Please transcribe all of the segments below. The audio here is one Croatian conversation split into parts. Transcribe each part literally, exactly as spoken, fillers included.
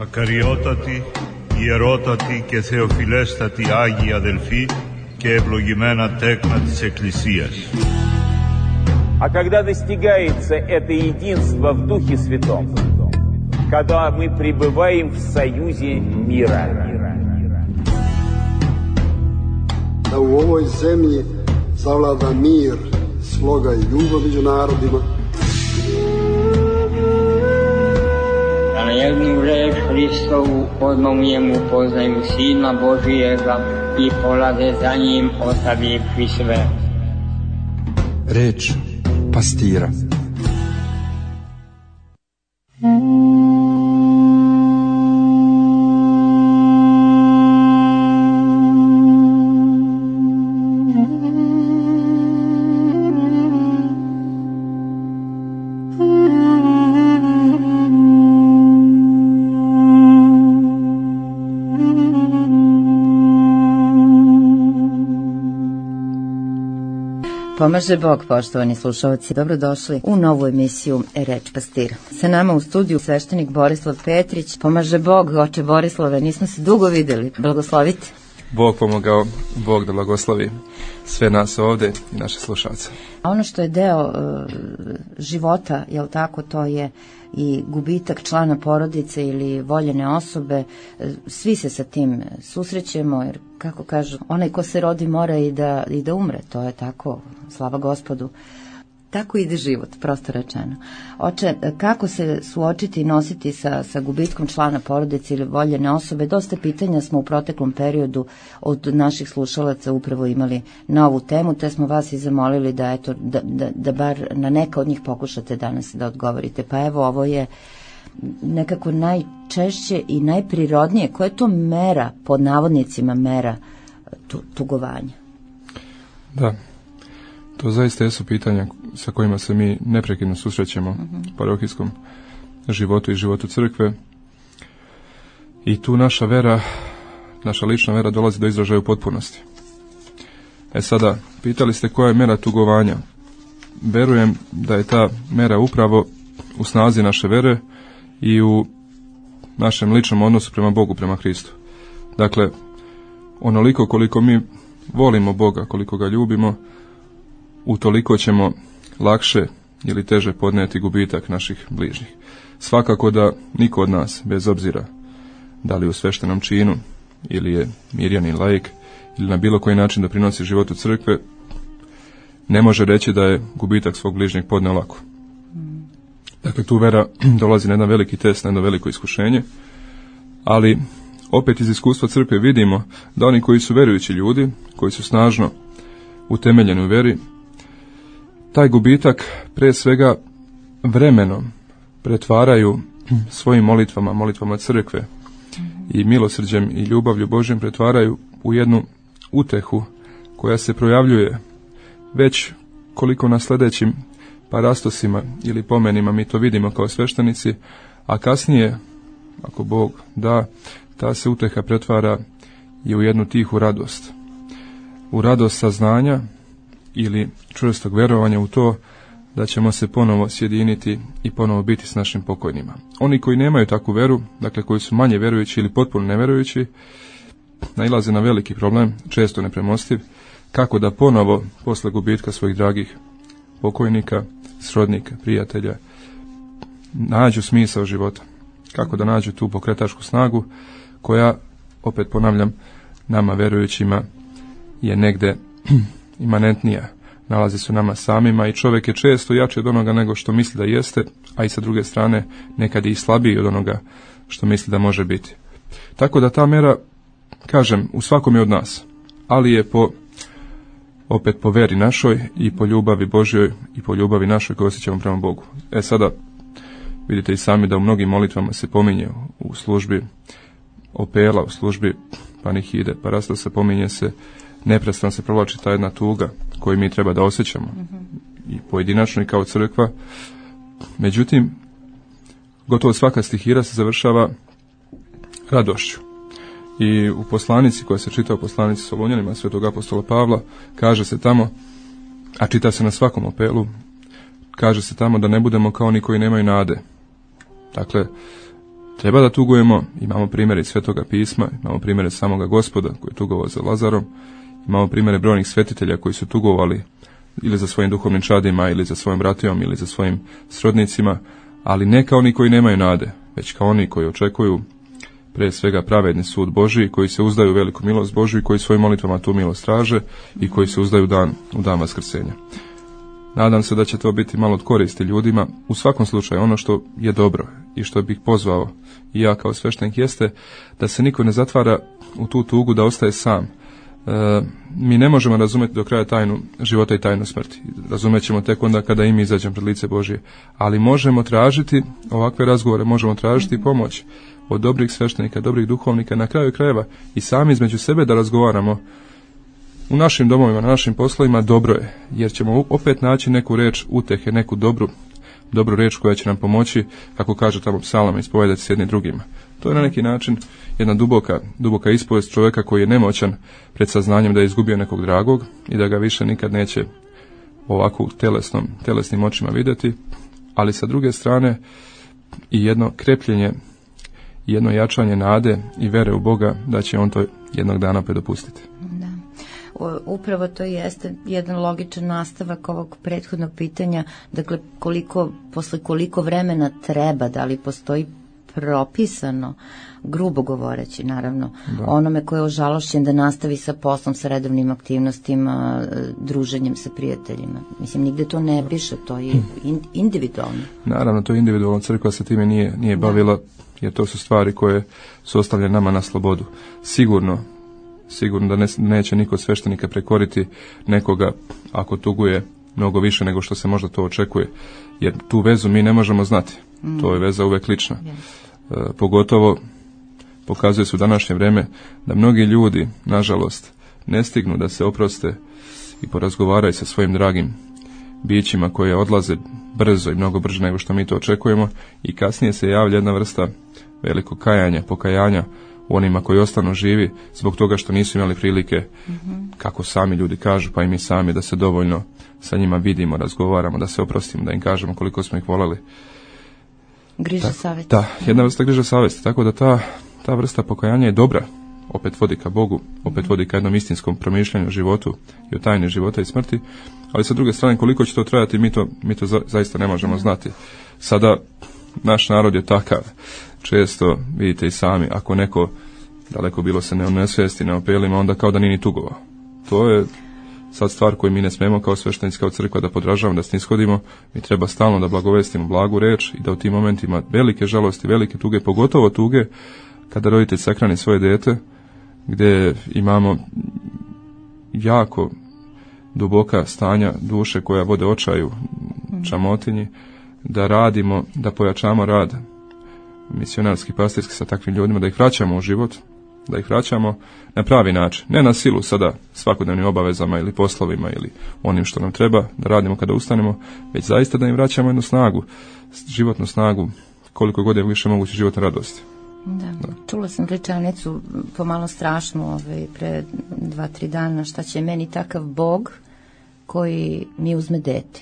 Ακαριότατοι, ιερότατοι και θεοφιλέστατοι Άγιοι αδελφοί και ευλογημένα τέκνα της Εκκλησίας. А когда достигается это единство в Духе Святом, когда мы пребываем в союзе мира. Da u ovoj zemlji zavlada mir, sloga i ljubav među narodima. Da na jednu reč Hristovu odmomljemu poznaju Sina Božijega i polade za njim ostavivši sve. Reč pastira. Pomaže Bog, poštovani slušalci, dobrodošli u novu emisiju Reč pastira. Sa nama u studiju sveštenik Borislav Petrić. Pomaže Bog, oče Borislave, nismo se dugo videli, blagoslovite. Bog pomogao, Bog da blagoslovi sve nas ovde i naše slušalce. A ono što je deo uh, života, jel tako, to je i gubitak člana porodice ili voljene osobe. Svi se sa tim susrećemo, jer kako kažu, onaj ko se rodi mora i da, i da umre, to je tako, slava Gospodu. Tako ide život, prosto rečeno. Oče, kako se suočiti i nositi sa, sa gubitkom člana porodice ili voljene osobe? Dosta pitanja smo u proteklom periodu od naših slušalaca upravo imali na ovu temu, te smo vas i zamolili da, eto, da, da, da bar na neka od njih pokušate danas da odgovorite. Pa evo, ovo je nekako najčešće i najprirodnije. Koja je to mera, pod navodnicima mera, tu, tugovanja? Da, to zaista jesu pitanja sa kojima se mi neprekidno susrećemo uh-huh. u parohijskom životu i životu crkve. I tu naša vera, naša lična vera dolazi do izražaja u potpunosti. E sada, pitali ste koja je mera tugovanja. Verujem da je ta mera upravo u snazi naše vere i u našem ličnom odnosu prema Bogu, prema Hristu. Dakle, onoliko koliko mi volimo Boga, koliko ga ljubimo, utoliko ćemo lakše ili teže podnijeti gubitak naših bližnjih. Svakako da niko od nas, bez obzira da li u sveštenom činu ili je mirjanin laik ili na bilo koji način doprinosi životu crkve, ne može reći da je gubitak svog bližnjeg podneo lako. Dakle, tu vera dolazi na jedan veliki test, na jedno veliko iskušenje, ali opet iz iskustva crkve vidimo da oni koji su verujući ljudi, koji su snažno utemeljeni u veri, taj gubitak pre svega vremenom pretvaraju svojim molitvama, molitvama crkve i milosrđem i ljubavlju Božjom pretvaraju u jednu utehu koja se projavljuje već koliko na sljedećim parastosima ili pomenima mi to vidimo kao sveštenici, a kasnije, ako Bog da, ta se uteha pretvara i u jednu tihu radost. U radost saznanja ili čvrstog verovanja u to da ćemo se ponovo sjediniti i ponovo biti s našim pokojnima. Oni koji nemaju takvu veru, dakle koji su manje verujući ili potpuno neverujući, nailaze na veliki problem, često nepremostiv, kako da ponovo, posle gubitka svojih dragih pokojnika, srodnika, prijatelja, nađu smisao života. Kako da nađu tu pokretačku snagu koja, opet ponavljam, nama verujućima je negde imanentnija, nalazi se u nama samima i čovjek je često jači od onoga nego što misli da jeste, a i sa druge strane nekad i slabiji od onoga što misli da može biti. Tako da ta mera, kažem, u svakom je od nas, ali je po, opet po veri našoj i po ljubavi Božjoj i po ljubavi našoj koju osjećamo prema Bogu. E sada, vidite i sami da u mnogim molitvama se pominje u službi opela, u službi panihide, parastosa, pominje se, neprestano se provlači ta jedna tuga koju mi treba da osjećamo mm-hmm. i pojedinačno i kao crkva. Međutim, gotovo svaka stihira se završava radošću. I u poslanici koja se čita u poslanici Solunjanima svetog apostola Pavla, kaže se tamo, a čita se na svakom opelu, kaže se tamo da ne budemo kao oni koji nemaju nade. Dakle, Treba da tugujemo, imamo primjere iz Svetoga pisma, imamo primjere samoga Gospoda koji je tugovao za Lazarom, imamo primjere brojnih svetitelja koji su tugovali ili za svojim duhovnim čadima, ili za svojim bratijom, ili za svojim srodnicima, ali ne kao oni koji nemaju nade, već kao oni koji očekuju pre svega pravedni sud Božiji, koji se uzdaju u veliku milost Božiju i koji svojim molitvama tu milost traže i koji se uzdaju u dan, u dan vaskrsenja. Nadam se da će to biti malo od koristi ljudima. U svakom slučaju, ono što je dobro i što bih pozvao i ja kao sveštenik jeste da se niko ne zatvara u tu tugu da ostaje sam. E, mi ne možemo razumjeti do kraja tajnu života i tajnu smrti. Razumet ćemo tek onda kada i mi izađemo pred lice Božije. Ali možemo tražiti ovakve razgovore, možemo tražiti pomoć od dobrih sveštenika, dobrih duhovnika, na kraju krajeva i sami između sebe da razgovaramo u našim domovima, na našim poslovima. Dobro je, jer ćemo opet naći neku reč utehe, neku dobru, dobru reč koja će nam pomoći, kako kaže tamo psalama, ispovedati s jednim drugima. To je na neki način jedna duboka, duboka ispovest čovjeka koji je nemoćan pred saznanjem da je izgubio nekog dragog i da ga više nikad neće ovako telesnom, telesnim očima vidjeti, ali sa druge strane i jedno krepljenje, jedno jačanje nade i vere u Boga da će on to jednog dana opet dopustiti. Da. Upravo to jeste jedan logičan nastavak ovog prethodnog pitanja, dakle koliko, posle koliko vremena treba, da li postoji propisano, grubo govoreći naravno, da. Onome ko je ožalošćen da nastavi sa poslom, sa redovnim aktivnostima, druženjem sa prijateljima. Mislim, nigde to ne piše, to je individualno. Naravno, to je individualno, crkva se time nije, nije bavila, da. Jer to su stvari koje su ostavljene nama na slobodu. Sigurno, sigurno da ne, neće niko od sveštenika prekoriti nekoga ako tuguje mnogo više nego što se možda to očekuje, jer tu vezu mi ne možemo znati. Mm. To je veza uvek lična. Yes. E, pogotovo pokazuje se u današnje vrijeme da mnogi ljudi, nažalost, ne stignu da se oproste i porazgovaraju sa svojim dragim bićima koje odlaze brzo i mnogo brže nego što mi to očekujemo, i kasnije se javlja jedna vrsta velikog kajanja, pokajanja u onima koji ostanu živi zbog toga što nisu imali prilike, mm-hmm. kako sami ljudi kažu, pa i mi sami, da se dovoljno sa njima vidimo, razgovaramo, da se oprostimo, da im kažemo koliko smo ih voleli. Griža savjesti. Da, jedna vrsta griža savjesti, tako da ta, ta vrsta pokajanja je dobra, opet vodi ka Bogu, opet vodi ka jednom istinskom promišljanju o životu i o tajni života i smrti, ali sa druge strane koliko će to trajati, mi to, mi to za, zaista ne možemo znati. Sada naš narod je takav, često vidite i sami, ako neko daleko bilo se ne onesvijesti, ne opelima, onda kao da nije ni tugovao. To je sad stvar koju mi ne smemo kao sveštenici, kao crkva da podražavamo, da snishodimo. Mi treba stalno da blagovestimo blagu reč i da u tim momentima velike žalosti, velike tuge, pogotovo tuge kada roditelj sahrani svoje dete, gdje imamo jako duboka stanja duše koja vode očaju, čamotinji, da radimo, da pojačamo rad misionarski, pastirski sa takvim ljudima, da ih vraćamo u život, da ih vraćamo na pravi način, ne na silu sada svakodnevnim obavezama ili poslovima ili onim što nam treba da radimo kada ustanemo, već zaista da im vraćamo jednu snagu, životnu snagu, koliko god je više moguće životne radosti. Da. Da. Čula sam rečanicu pomalo strašnu ovaj, pre dva, tri dana, šta će meni takav Bog koji mi uzme dete.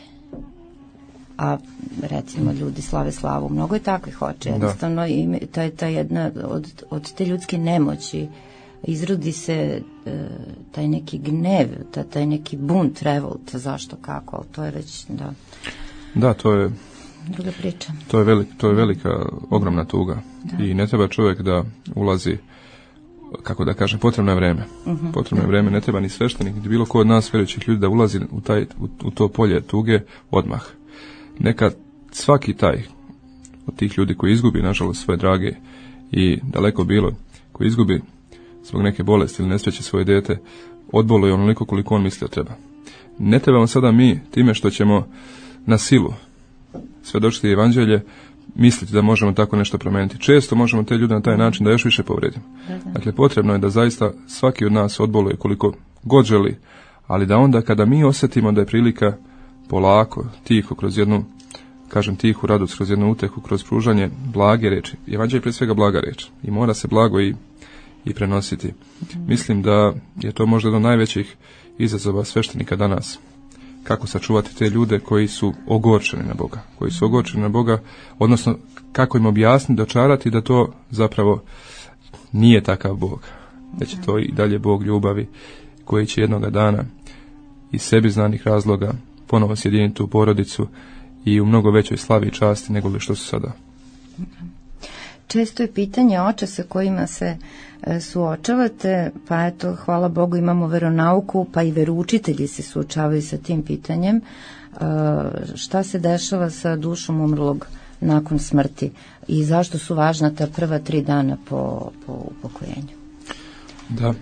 A recimo ljudi slave slavu, mnogo je takvih hoće, jednostavno i to je ta jedna od, od te ljudske nemoći izrodi se e, taj neki gnev, ta, taj neki bunt, revolt, zašto, kako, ali to je već, da. Da, to je druga priča. To je, velik, to je velika, ogromna tuga. Da. I ne treba čovjek da ulazi, kako da kažem, potrebno je vreme. Uh-huh. Potrebno je vreme, ne treba ni sveštenik, ni bilo ko od nas vjerujućih ljudi da ulazi u, taj, u, u to polje tuge odmah. Neka svaki taj od tih ljudi koji izgubi, nažalost, svoje drage i daleko bilo, koji izgubi zbog neke bolesti ili nesreće svoje dete, odboluje onoliko koliko on mislio treba. Ne trebamo sada mi, time što ćemo na silu svjedočiti evanđelje, misliti da možemo tako nešto promijeniti. Često možemo te ljude na taj način da još više povredimo. Dakle, potrebno je da zaista svaki od nas odboluje koliko god želi, ali da onda kada mi osjetimo da je prilika polako, tiho, kroz jednu, kažem tihu radost, kroz jednu utehu, kroz pružanje blage reči. Evanđelje je prije svega blaga reč i mora se blago i, i prenositi. Mm-hmm. Mislim da je to možda jedan od najvećih izazova sveštenika danas. kako sačuvati te ljude koji su ogorčeni na Boga, koji su ogorčeni na Boga, odnosno kako im objasniti, dočarati da to zapravo nije takav Bog, da će to i dalje Bog ljubavi, koji će jednoga dana iz sebi znanih razloga ponovo sjediniti u porodicu i u mnogo većoj slavi i časti nego li što su sada. Često je pitanje oče sa kojima se e, suočavate, pa eto, hvala Bogu imamo veronauku, pa i veroučitelji se suočavaju sa tim pitanjem. E, šta se dešava sa dušom umrlog nakon smrti i zašto su važna ta prva tri dana po, po upokojenju? Da,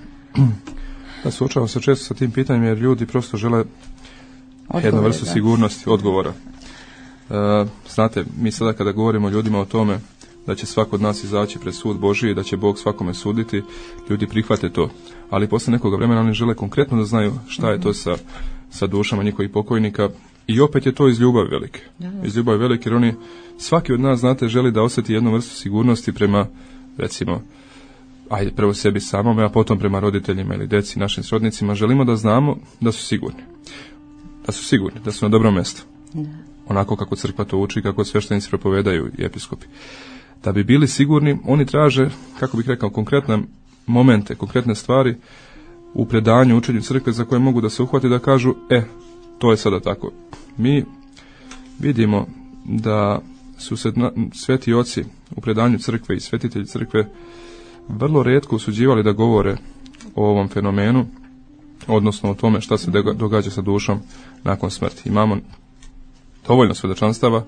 da suočavamo se često sa tim pitanjem jer ljudi prosto žele odgovore, jednu vrstu da. sigurnosti, odgovora. E, znate, mi sada kada govorimo ljudima o tome da će svako od nas izaći pred sud Božiji, da će Bog svakome suditi, ljudi prihvate to. Ali posle nekoga vremena oni žele konkretno da znaju šta je to sa, sa dušama njihovih pokojnika i opet je to iz ljubavi velike. Iz ljubavi velike jer oni, svaki od nas, znate, želi da osjeti jednu vrstu sigurnosti prema, recimo, ajde prvo sebi samome, a potom prema roditeljima ili deci, našim srodnicima. Želimo da znamo da su sigurni. Da su sigurni, da su na dobrom mjestu. Onako kako crkva to uči, kako sveštenici propovedaju i episkopi. Da bi bili sigurni, oni traže, kako bih rekao, konkretne momente, konkretne stvari u predanju, učenju crkve za koje mogu da se uhvati da kažu, e, to je sada tako. Mi vidimo da su se sveti oci u predanju crkve i svetitelji crkve vrlo retko usuđivali da govore o ovom fenomenu, odnosno o tome šta se događa sa dušom nakon smrti. Imamo dovoljno svedočanstava,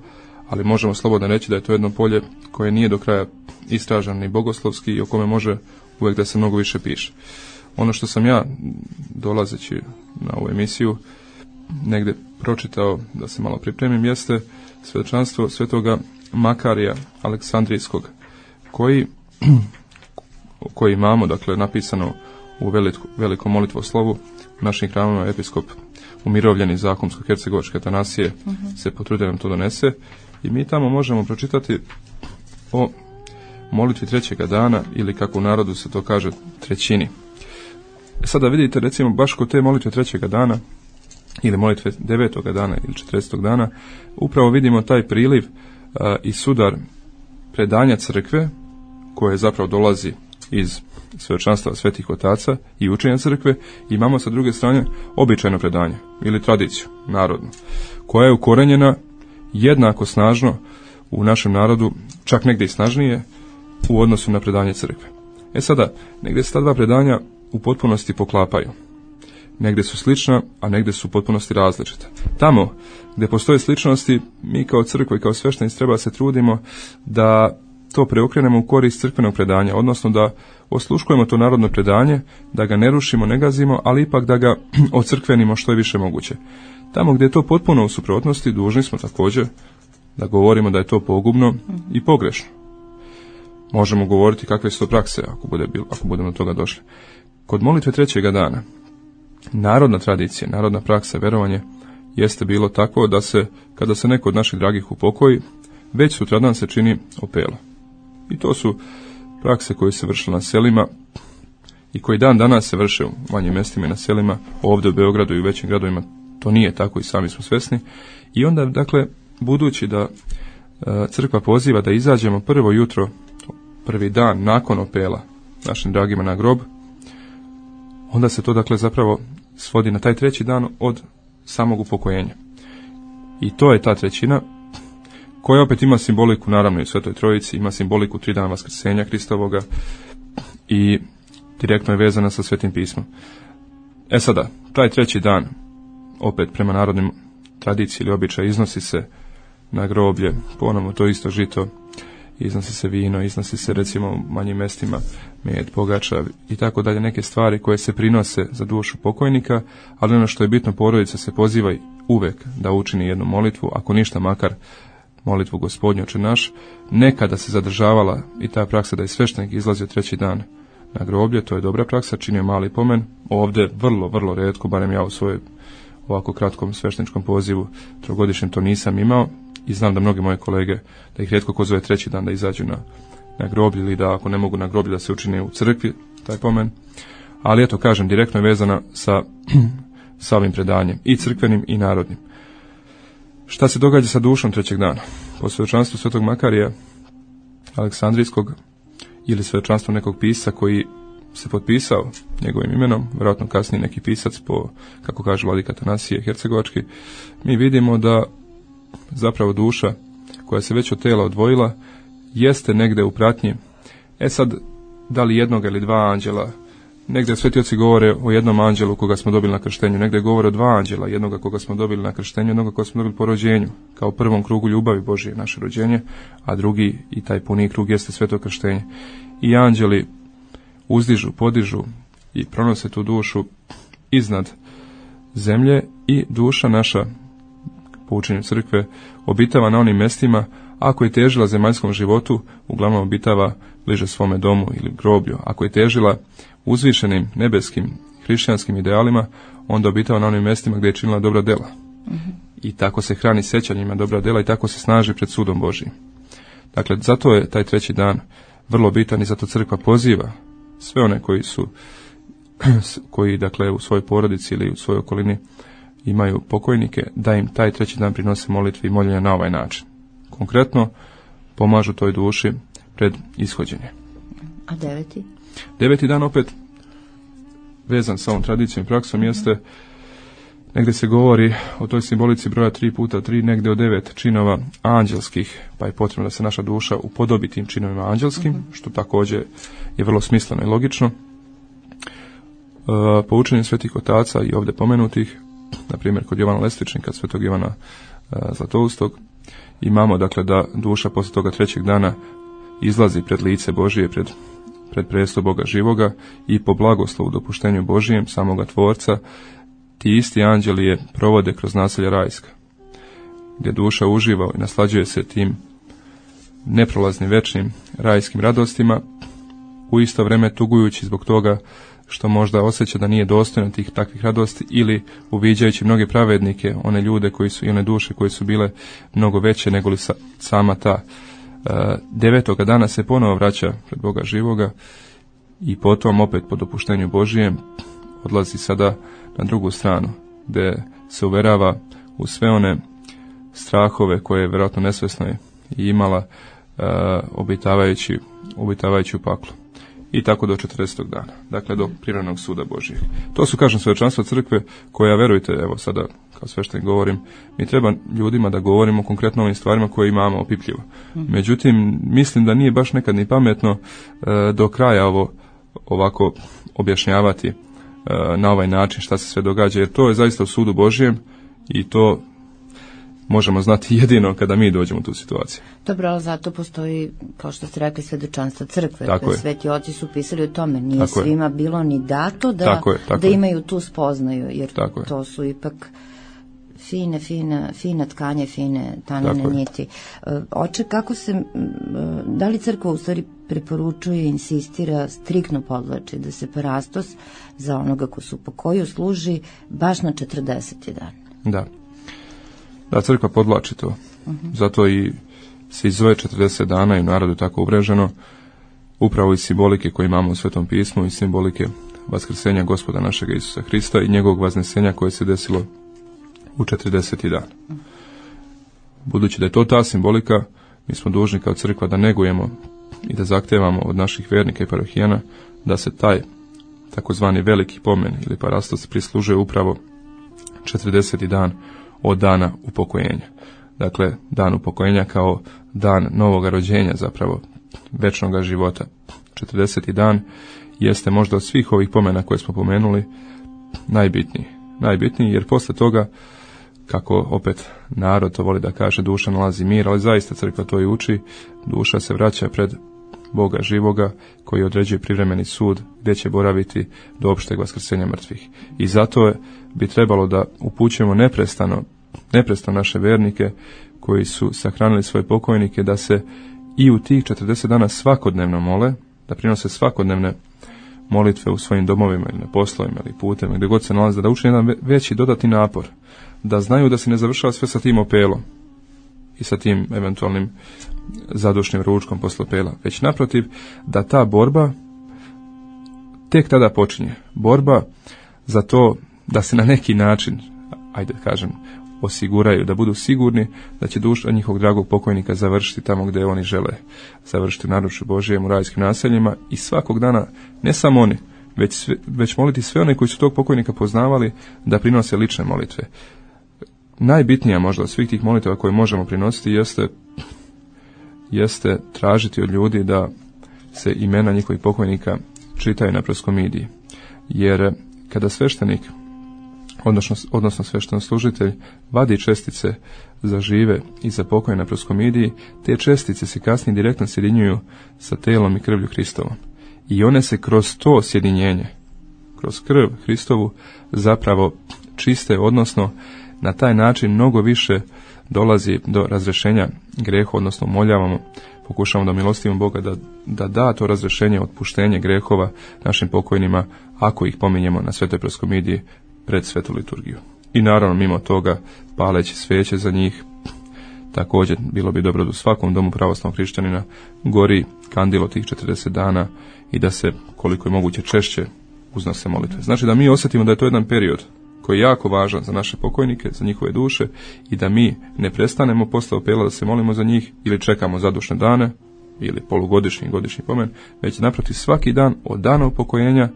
ali možemo slobodno reći da je to jedno polje koje nije do kraja istraženo ni bogoslovski i o kome može uvijek da se mnogo više piše. Ono što sam ja, dolazeći na ovu emisiju, negdje pročitao da se malo pripremim, jeste svedočanstvo svetoga Makarija Aleksandrijskog, koji, koji imamo, dakle, napisano u veliko, velikom molitvoslovu našim hramima. Episkop umirovljeni zakomsko-hercegovačke Atanasije uh-huh. se potrudio nam to donese i mi tamo možemo pročitati o molitvi trećega dana, ili kako u narodu se to kaže, trećini. E sada vidite, recimo, baš kod te molitve trećega dana ili molitve devetoga dana ili četrdesetog dana, upravo vidimo taj priliv a, i sudar predanja crkve, koje zapravo dolazi iz svedočanstva svetih otaca i učenja crkve. Imamo sa druge strane običajno predanje ili tradiciju narodnu, koja je ukorenjena jednako snažno u našem narodu, čak negdje i snažnije u odnosu na predanje crkve. E sada, negdje se ta dva predanja u potpunosti poklapaju. Negdje su slična, a negdje su u potpunosti različita. Tamo gdje postoje sličnosti, mi kao crkva i kao sveštenici treba se trudimo da to preokrenemo u korist crkvenog predanja, odnosno da osluškujemo to narodno predanje, da ga ne rušimo, ne gazimo, ali ipak da ga ocrkvenimo što je više moguće. Tamo gdje je to potpuno u suprotnosti, dužni smo također da govorimo da je to pogubno i pogrešno. Možemo govoriti kakve su to prakse, ako, bude, ako budemo do toga došli. Kod molitve trećega dana, narodna tradicija, narodna praksa, verovanje, jeste bilo tako da se, kada se neko od naših dragih upokoji, već sutradan se čini opela. I to su prakse koje se vršile na selima i koji dan danas se vrše u manjim mjestima i na selima, ovdje u Beogradu i u većim gradovima to nije tako i sami smo svjesni. I onda, dakle, budući da e, crkva poziva da izađemo prvo jutro, prvi dan nakon opela našim dragima na grob, onda se to, dakle, zapravo svodi na taj treći dan od samog upokojenja. I to je ta trećina koja opet ima simboliku, naravno, i u Svetoj Trojici, ima simboliku tri dana vaskrsenja Hristovoga i direktno je vezana sa Svetim pismom. E sada, taj treći dan, opet prema narodnim tradiciji ili običaju, iznosi se na groblje, ponovno to isto žito, iznosi se vino, iznosi se, recimo, u manjim mjestima med, pogača i tako dalje, neke stvari koje se prinose za dušu pokojnika, ali ono što je bitno, porodica se poziva uvek da učini jednu molitvu, ako ništa makar molitvu Gospodnju Oče naš. Nekada se zadržavala i ta praksa da je sveštenik izlazio treći dan na groblje, to je dobra praksa, činio mali pomen. Ovdje vrlo, vrlo retko, barem ja u svojoj ovako kratkom svešteničkom pozivu trogodišnjem to nisam imao i znam da mnogi moje kolege, da ih rijetko ko zove treći dan da izađu na, na groblje ili da ako ne mogu na groblje da se učine u crkvi taj pomen. Ali eto, kažem, direktno je vezana sa sa ovim predanjem, i crkvenim i narodnim. Šta se događa sa dušom trećeg dana? Po svjedočanstvu svetog Makarija Aleksandrijskog ili svjedočanstvo nekog pisca koji se potpisao njegovim imenom, vjerojatno kasnije neki pisac po, kako kaže vladika Atanasije Hercegovački, mi vidimo da zapravo duša koja se već od tela odvojila jeste negde u pratnji. E sad, da li jednog ili dva anđela, negdje sveti oci govore o jednom anđelu koga smo dobili na krštenju, negdje govore o dva anđela, jednoga koga smo dobili na krštenju, jednoga koga smo dobili po rođenju, kao prvom krugu ljubavi Božije naše rođenje, a drugi i taj puni krug jeste sveto krštenje. I anđeli uzdižu, podižu i pronose tu dušu iznad zemlje i duša naša, po učenju crkve, obitava na onim mjestima, ako je težila zemaljskom životu, uglavnom obitava bliže svome domu ili groblju. Ako je težila uzvišenim nebeskim hrišćanskim idealima, onda obitava na onim mjestima gdje je činila dobra dela. Mm-hmm. I tako se hrani sjećanjima dobra dela i tako se snaži pred sudom Božijim. Dakle, zato je taj treći dan vrlo bitan i zato crkva poziva sve one koji su, koji dakle u svojoj porodici ili u svojoj okolini imaju pokojnike, da im taj treći dan prinose molitvi i moljenja na ovaj način. Konkretno, pomažu toj duši pred ishođenje. A deveti? Deveti dan opet vezan sa ovom tradicijom i praksom jeste, negdje se govori o toj simbolici broja tri puta tri, negdje o devet činova anđelskih, pa je potrebno da se naša duša upodobi tim činovima anđelskim, uh-huh. što također je vrlo smisleno i logično. E, po učenju svetih otaca i ovdje pomenutih, na primjer kod Jovana Lestičnika, svetog Jovana e, Zlatoustog, imamo dakle da duša poslije toga trećeg dana izlazi pred lice Božije, pred, pred presto Boga živoga i po blagoslovu dopuštenju Božijem, samoga Tvorca, ti isti anđeli je provode kroz naselja rajska, gdje duša uživa i naslađuje se tim neprolaznim večnim rajskim radostima, u isto vrijeme tugujući zbog toga što možda osjeća da nije dostojno tih takvih radosti ili uviđajući mnoge pravednike, one ljude koji su i one duše koje su bile mnogo veće nego li sa, sama ta. E, devetoga dana se ponovo vraća pred Boga živoga i potom opet po dopuštenju Božijem odlazi sada na drugu stranu, gdje se uverava u sve one strahove koje je vjerojatno nesvjesno i imala e, obitavajući, obitavajući u paklu. I tako do četrdesetog dana, dakle do prirodnog suda Božijeg. To su, kažem, svjedočanstva crkve koja, verujte, evo sada kao sveštenik govorim, mi treba ljudima da govorimo konkretno o ovim stvarima koje imamo opipljivo. Međutim, mislim da nije baš nekad ni pametno e, do kraja ovo ovako objašnjavati e, na ovaj način šta se sve događa, jer to je zaista u sudu Božijem i to možemo znati jedino kada mi dođemo u tu situaciju. Dobro, ali zato postoji, kao što ste rekli, svjedočanstva crkve. Tako je. Sveti oci su pisali o tome. Nije tako svima je. bilo ni dato da, tako je, tako da imaju tu spoznaju, jer tako to su ipak fine, fine, fine tkanje, fine tanane niti. Oče, kako se, da li crkva u stvari preporučuje, insistira, striktno podlači da se parastos za onoga ko su po koju služi baš na četrdeseti dan? Da. Da, crkva podlači to. Uh-huh. Zato i se izove četrdeset dana i u narodu tako uvreženo, upravo iz simbolike koje imamo u Svetom pismu i simbolike vaskrsenja Gospoda našega Isusa Hrista i njegovog vaznesenja koje se desilo u četrdeseti dan. Uh-huh. Budući da je to ta simbolika, mi smo dužni kao crkva da negujemo i da zahtevamo od naših vernika i parohijana da se taj takozvani veliki pomen ili parastos prislužuje upravo četrdeseti dan od dana upokojenja. Dakle, dan upokojenja kao dan novoga rođenja, zapravo večnoga života. četrdeseti dan jeste možda od svih ovih pomena koje smo pomenuli najbitniji. Najbitniji jer posle toga, kako opet narod to voli da kaže, duša nalazi mir, ali zaista crkva to i uči, duša se vraća pred Boga živoga koji određuje privremeni sud gdje će boraviti do opšteg vaskrsenja mrtvih. I zato je, bi trebalo da upućujemo neprestano, neprestano naše vernike koji su sahranili svoje pokojnike da se i u tih četrdeset dana svakodnevno mole, da prinose svakodnevne molitve u svojim domovima ili na poslovima ili putem, gdje god se nalaze, da učine jedan veći dodatni napor, da znaju da se ne završava sve sa tim opelom i sa tim eventualnim zadušnim ručkom posle opela, već naprotiv da ta borba tek tada počinje. Borba za to da se na neki način, ajde kažem, osiguraju, da budu sigurni da će duša njihovog dragog pokojnika završiti tamo gdje oni žele završiti, u naručju Božijem, u rajskim naseljima, i svakog dana, ne samo oni, već, sve, već moliti sve one koji su tog pokojnika poznavali da prinose lične molitve. Najbitnija možda od svih tih molitava koje možemo prinositi jeste, jeste tražiti od ljudi da se imena njihovih pokojnika čitaju na proskomidiji. Jer kada sveštenik, odnosno, odnosno sveštenoslужitelj, vadi čestice za žive i za pokojne na proskomidiji, te čestice se kasnije direktno sjedinjuju sa telom i krvlju Hristovom. I one se kroz to sjedinjenje, kroz krv Hristovu, zapravo čiste, odnosno na taj način mnogo više dolazi do razrešenja greha, odnosno moljavamo, pokušavamo da milostivimo Boga da, da da to razrešenje, otpuštenje grehova našim pokojnima, ako ih pominjemo na svetoj proskomidiji pred svetu liturgiju. I naravno, mimo toga, paleći sveće za njih. Također, bilo bi dobro da u svakom domu pravoslavnog hrišćanina gori kandilo tih četrdeset dana i da se, koliko je moguće, češće uznose molitve. Znači da mi osjetimo da je to jedan period koji je jako važan za naše pokojnike, za njihove duše, i da mi ne prestanemo posle opela da se molimo za njih ili čekamo zadušne dane ili polugodišnji godišnji pomen, već naprotiv svaki dan od dana upokojenja,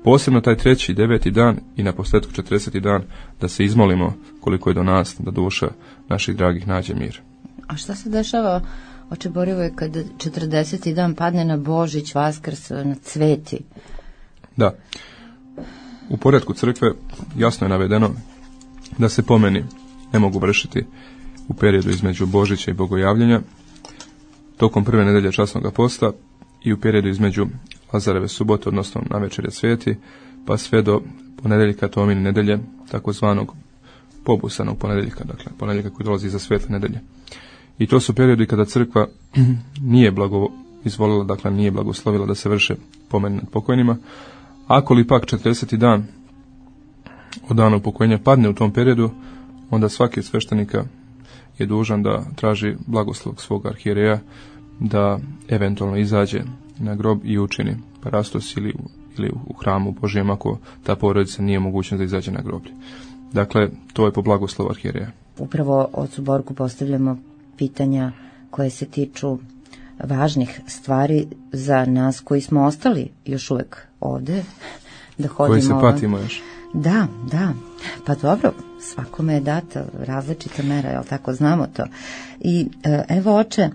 posebno taj treći, deveti dan i na posljedku četrdeseti dan, da se izmolimo koliko je do nas da duša naših dragih nađe mir. A šta se dešava, oče Borivoje, kad četrdeseti dan padne na Božić, Vaskrs, na Cveti? Da. U poretku crkve jasno je navedeno da se pomeni ne mogu vršiti u periodu između Božića i Bogojavljenja, tokom prve nedelje časnog posta i u periodu između Lazareve subote, odnosno navečerje Sveti, pa sve do ponedjeljka Tomine nedelje, takozvanog pobusanog ponedjeljka, dakle ponedjeljka koji dolazi iza Svetle nedelje. I to su periodi kada crkva nije blago izvolila, dakle nije blagoslovila da se vrše pomeni nad pokojnima. Ako li pak četrdeseti dan od dana upokojenja padne u tom periodu, onda svaki od sveštenika je dužan da traži blagoslov svog arhijereja da eventualno izađe na grob i učini parastos ili, ili u hramu Božijem ako ta porodica nije mogućna da izađe na groblje. Dakle, to je po blagoslovu arhijereja. Upravo ocu Borku postavljamo pitanja koje se tiču važnih stvari za nas koji smo ostali još uvek ovde, da hodimo... Koji se patimo još. Da, da, pa dobro, svakome je data različita mera, jel tako, znamo to. I evo, oče,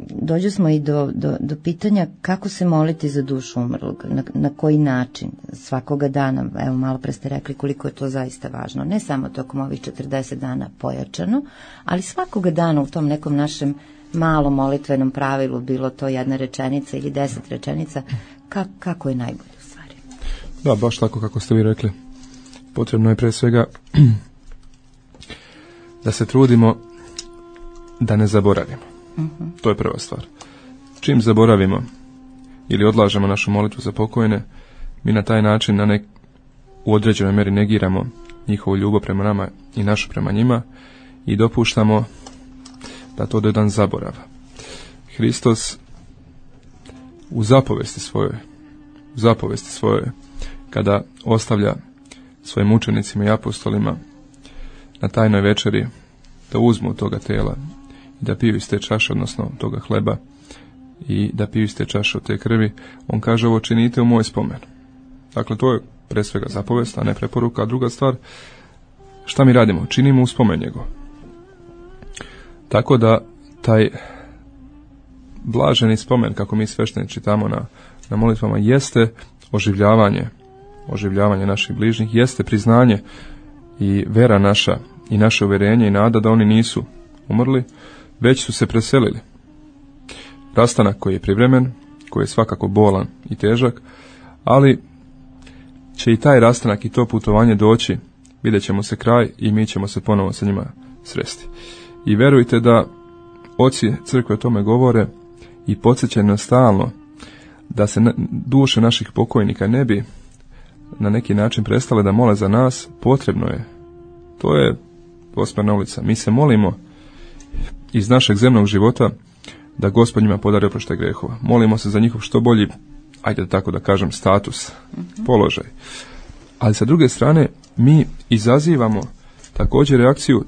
dođu smo i do, do, do pitanja kako se moliti za dušu umrlog, na, na koji način, svakoga dana. Evo, malo pre ste rekli koliko je to zaista važno, ne samo tokom ovih četrdeset dana pojačano, ali svakoga dana u tom nekom našem malom molitvenom pravilu, bilo to jedna rečenica ili deset rečenica, ka, kako je najbolje u stvari. Da, baš tako kako ste vi rekli. Potrebno je pre svega da se trudimo da ne zaboravimo. Uh-huh. To je prva stvar. Čim zaboravimo ili odlažemo našu molitvu za pokojne, mi na taj način na nek, u određenoj meri negiramo njihovu ljubav prema nama i našu prema njima i dopuštamo da to do jedan zaborav. Hristos u zapovesti svojoj, u zapovesti svojoj, kada ostavlja svojim učenicima i apostolima na tajnoj večeri da uzmu od toga tela i da piju iz te čaše, odnosno toga hleba, i da piju iz te čaše od te krvi, on kaže ovo činite u moj spomen. Dakle, to je pre svega zapovest, a ne preporuka. A druga stvar, šta mi radimo? Činimo u spomen njegov. Tako da taj blaženi spomen, kako mi svešteni čitamo na, na molitvama, jeste oživljavanje, oživljavanje naših bližnjih, jeste priznanje i vera naša i naše uvjerenje i nada da oni nisu umrli, već su se preselili. Rastanak koji je privremen, koji je svakako bolan i težak, ali će i taj rastanak i to putovanje doći, vidjet ćemo se kraj i mi ćemo se ponovo sa njima sresti. I verujte da oci crkve o tome govore i podsjećaju nas stalno da se duše naših pokojnika ne bi na neki način prestale da mole za nas. Potrebno je. To je Osmerna ulica. Mi se molimo iz našeg zemnog života da Gospod njima podari oproštaj grehova. Molimo se za njihov što bolji, ajde tako da kažem, status, uh-huh. položaj. Ali sa druge strane, mi izazivamo također reakciju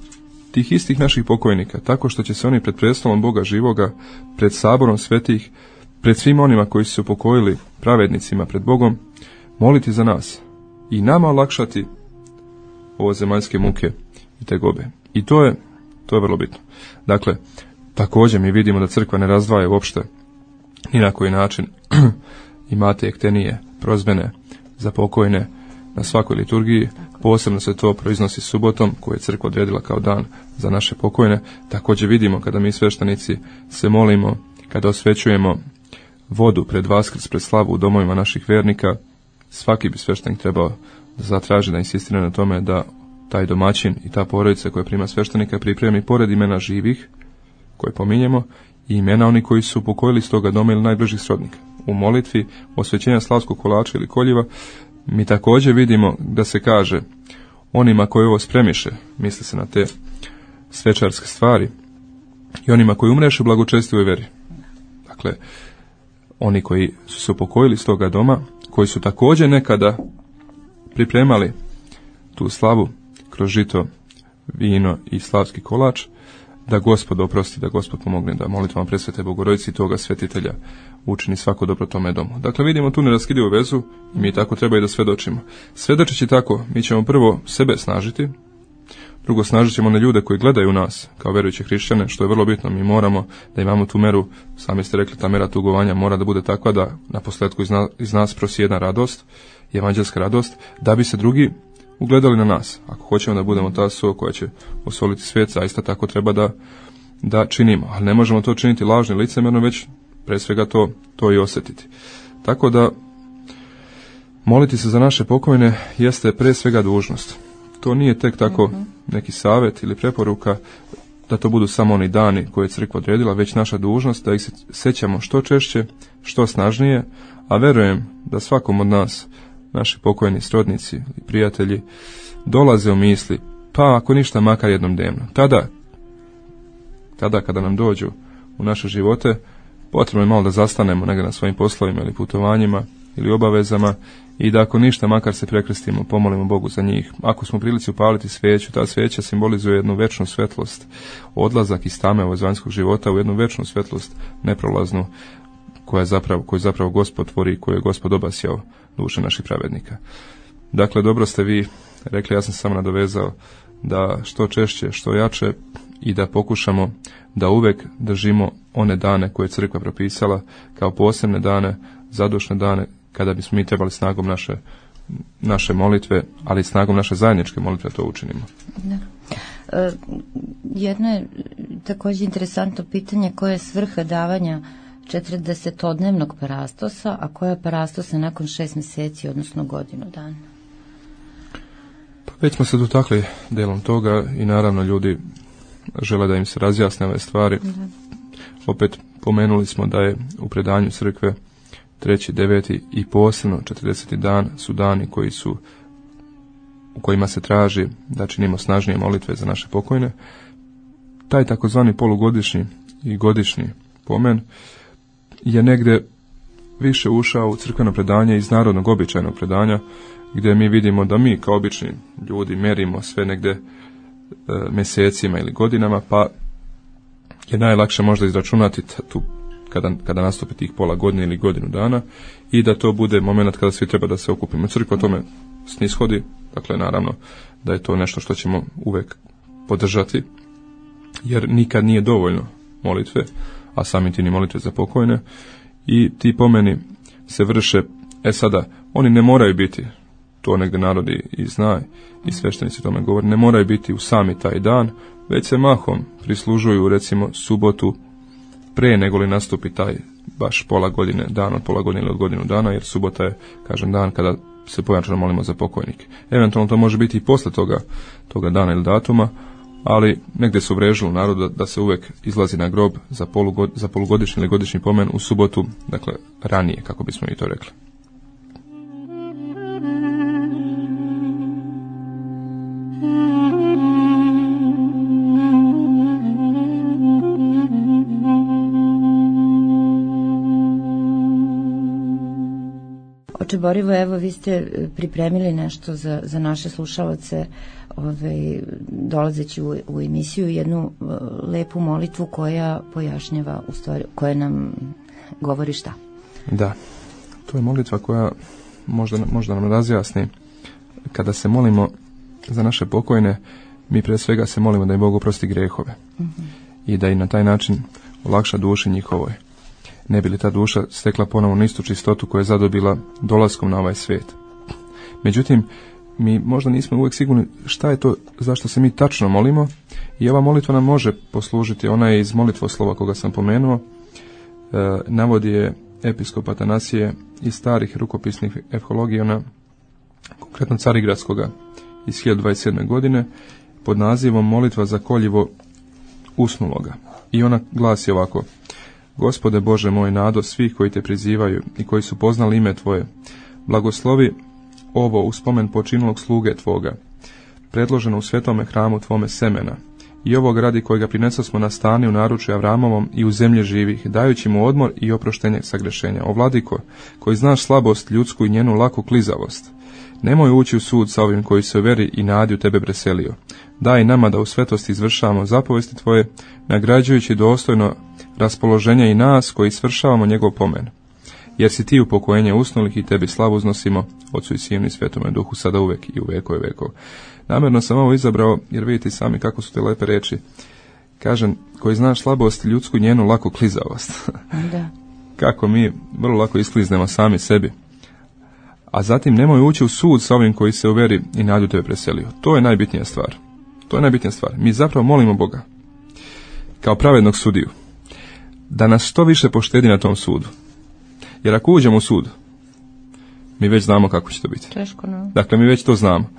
tih istih naših pokojnika, tako što će se oni pred prestolom Boga živoga, pred saborom svetih, pred svim onima koji su se upokojili, pravednicima pred Bogom, moliti za nas i nama olakšati ovo zemaljske muke i tegobe. I to je, to je vrlo bitno. Dakle, također mi vidimo da crkva ne razdvaja uopšte ni na koji način imate ektenije, prozbene za pokojne na svakoj liturgiji. Posebno se to proiznosi subotom, koju je crkva odredila kao dan za naše pokojne. Također vidimo kada mi sveštenici se molimo, kada osvećujemo vodu pred Vaskrs, pred slavu u domovima naših vernika, svaki bi sveštenik trebao da zatraži, da insistira na tome da taj domaćin i ta porodica koja prima sveštenika pripremi pored imena živih koje pominjemo i imena oni koji su pokojili iz toga doma ili najbližih srodnika. U molitvi osvećenja slavskog kolača ili koljiva mi također vidimo da se kaže onima koji ovo spremiše, misli se na te svečarske stvari, i onima koji umreše u blagočestivoj veri. Dakle, oni koji su se upokojili iz toga doma, koji su također nekada pripremali tu slavu kroz žito, vino i slavski kolač, da Gospod oprosti, da Gospod pomogne, da molitvama presvete Bogorodici toga svetitelja učini svako dobro tome domu. Dakle, vidimo tu neraskidivu vezu i mi tako treba i da svedočimo. Svedočeći tako, mi ćemo prvo sebe snažiti, drugo snažit ćemo one ljude koji gledaju nas kao verujuće hrišćane, što je vrlo bitno. Mi moramo da imamo tu meru, sami ste rekli, ta mera tugovanja mora da bude takva da na posljedku iz, na, iz nas prosjedna radost, evanđelska radost, da bi se drugi ugledali na nas. Ako hoćemo da budemo ta so koja će osoliti svijet, zaista tako treba da, da činimo. Ali ne možemo to činiti lažno i licemjerno, već pre svega to, to i osjetiti. Tako da moliti se za naše pokojne jeste pre svega dužnost. To nije tek tako neki savjet ili preporuka da to budu samo oni dani koje je crkva odredila, već naša dužnost da ih se sećamo što češće, što snažnije, a verujem da svakom od nas naši pokojni srodnici i prijatelji dolaze u misli, pa ako ništa makar jednom dnevno. Tada, tada kada nam dođu u naše živote, potrebno je malo da zastanemo negdje na svojim poslovima ili putovanjima ili obavezama i da ako ništa makar se prekrstimo, pomolimo Bogu za njih. Ako smo u prilici upaliti sveću, ta sveća simbolizuje jednu večnu svetlost, odlazak iz tame ovog vanjskog života u jednu večnu svetlost neprolaznu, koja je zapravo, koju zapravo Gospod tvori i koju je Gospod obasjao duše naših pravednika. Dakle, dobro ste vi rekli, ja sam samo nadovezao da što češće, što jače i da pokušamo da uvek držimo one dane koje je crkva propisala kao posebne dane, zadušne dane, kada bismo mi trebali snagom naše, naše molitve, ali snagom naše zajedničke molitve to učinimo. Da. E, jedno je također interesantno pitanje, koja je svrha davanja četrdesetodnevnog parastosa, a koja je parastosa nakon šest mjeseci, odnosno godinu dana? Pa već smo se dotakli delom toga i naravno ljudi žele da im se razjasne ove stvari. Da. Opet pomenuli smo da je u predanju crkve treći, deveti i posebno četrdeseti dan su dani koji su, u kojima se traži da činimo snažnije molitve za naše pokojne. Taj takozvani polugodišnji i godišnji pomen je negdje više ušao u crkveno predanje iz narodnog običajnog predanja, gdje mi vidimo da mi kao obični ljudi merimo sve negdje e, mjesecima ili godinama, pa je najlakše možda izračunati tu kada, kada nastupi tih pola godine ili godinu dana i da to bude moment kada svi treba da se okupimo. Crkva tome snishodi, dakle naravno da je to nešto što ćemo uvek podržati, jer nikad nije dovoljno molitve, a sami ti ni molitve za pokojne, i ti pomeni se vrše, e sada, oni ne moraju biti, to negdje narodi i zna, i sveštenici tome govore, ne moraju biti u sami taj dan, već se mahom prislužuju, recimo, subotu pre nego li nastupi taj baš pola godine, dan od pola godine ili od godinu dana, jer subota je, kažem, dan kada se pojačano molimo za pokojnike. Eventualno to može biti i posle toga, toga dana ili datuma, ali negdje su vrežili narodu da, da se uvek izlazi na grob za, polugod, za polugodišnji ili godišnji pomen u subotu, dakle ranije, kako bismo i to rekli. O Oče Borivo, evo vi ste pripremili nešto za, za naše slušalace, ovaj, dolazeći u, u emisiju, jednu uh, lepu molitvu koja pojašnjava, u stvari, koja nam govori šta? Da, to je molitva koja možda, možda nam razjasni. Kada se molimo za naše pokojne, mi pre svega se molimo da im Bog oprosti grehove mm-hmm. i da i na taj način olakša duši njihovoj. Ne bi li ta duša stekla ponovno istu čistotu koju je zadobila dolaskom na ovaj svijet. Međutim, mi možda nismo uvijek sigurni šta je to zašto se mi tačno molimo i ova molitva nam može poslužiti. Ona je iz molitvoslova koga sam pomenuo, e, navodi je episkop Atanasije iz starih rukopisnih ehologijona, konkretno Carigradskoga iz hiljadu dvadeset sedme. godine, pod nazivom Molitva za koljivo usnuloga. I ona glasi ovako: Gospode Bože moj, nado svih koji te prizivaju i koji su poznali ime Tvoje, blagoslovi ovo u spomen počinulog sluge Tvoga, predloženo u svetome hramu Tvome semena, i ovog radi kojega prinesosmo na stani u naručju Avramovom i u zemlji živih, dajući mu odmor i oproštenje sagrešenja. O Vladiko, koji znaš slabost ljudsku i njenu laku klizavost, nemoj ući u sud sa ovim koji se u veri i nadi u Tebe preselio. Daj nama da u svetosti izvršavamo zapovesti Tvoje, nagrađujući dostojno raspoloženje i nas koji svršavamo njegov pomen. Jer si Ti upokojenje usnulih i Tebi slavu uznosimo, Otcu i Sinu i Svetome Duhu, sada uvek i u vekove vekov. Namjerno sam ovo izabrao jer vidite sami kako su te lepe reči. Kažem, koji znaš slabost ljudsku i njenu laku klizavost. Da. Kako mi vrlo lako iskliznemo sami sebi. A zatim nemoj ući u sud sa ovim koji se u veri i nadu Tebe preselio. To je najbitnija stvar. To je najbitnija stvar. Mi zapravo molimo Boga kao pravednog sudiju da nas što više poštedi na tom sudu. Jer ako uđemo u sud, mi već znamo kako će to biti. Teško, no. Dakle, mi već to znamo.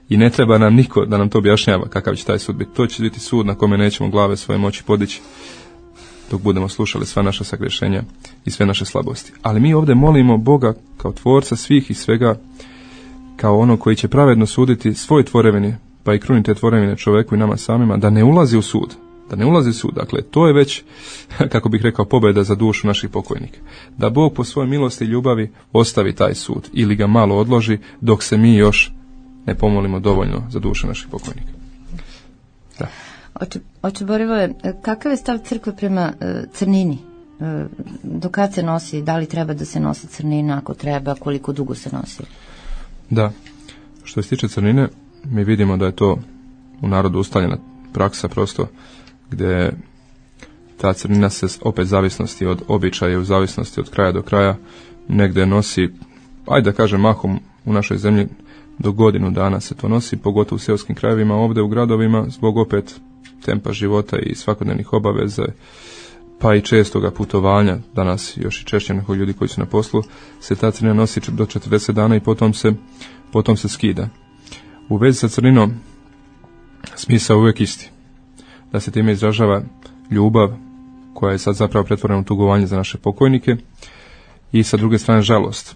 I ne treba nam niko da nam to objašnjava kakav će taj sud biti. To će biti sud na kome nećemo glave svoje moći podići dok budemo slušali sva naša sagrešenja i sve naše slabosti. Ali mi ovdje molimo Boga kao tvorca svih i svega, kao ono koji će pravedno suditi svoj tvorevini, pa i kruni te tvorevine čoveku i nama samima, da ne ulazi u sud. Da ne ulazi u sud. Dakle, to je već, kako bih rekao, pobjeda za dušu naših pokojnika. Da Bog po svojoj milosti i ljubavi ostavi taj sud ili ga malo odloži dok se mi još ne pomolimo dovoljno za duše naših pokojnika. Da. Oče, oče Borivoje, kakav je stav crkve prema uh, crnini? Uh, do kad se nosi, da li treba da se nosi crnina, ako treba, koliko dugo se nosi? Da, što se tiče crnine, mi vidimo da je to u narodu ustaljena praksa prosto, gdje ta crnina se opet zavisnosti od običaja, u zavisnosti od kraja do kraja, negdje nosi, ajde da kažem mahom u našoj zemlji, do godinu dana se to nosi, pogotovo u seoskim krajevima, ovdje u gradovima, zbog opet tempa života i svakodnevnih obaveza, pa i čestoga putovanja, danas još i češće nego ljudi koji su na poslu, se ta crnina nosi do četrdeset dana i potom se, potom se skida. U vezi sa crninom, smisao uvijek isti. Da se time izražava ljubav, koja je sad zapravo pretvorena u tugovanje za naše pokojnike, i sa druge strane žalost.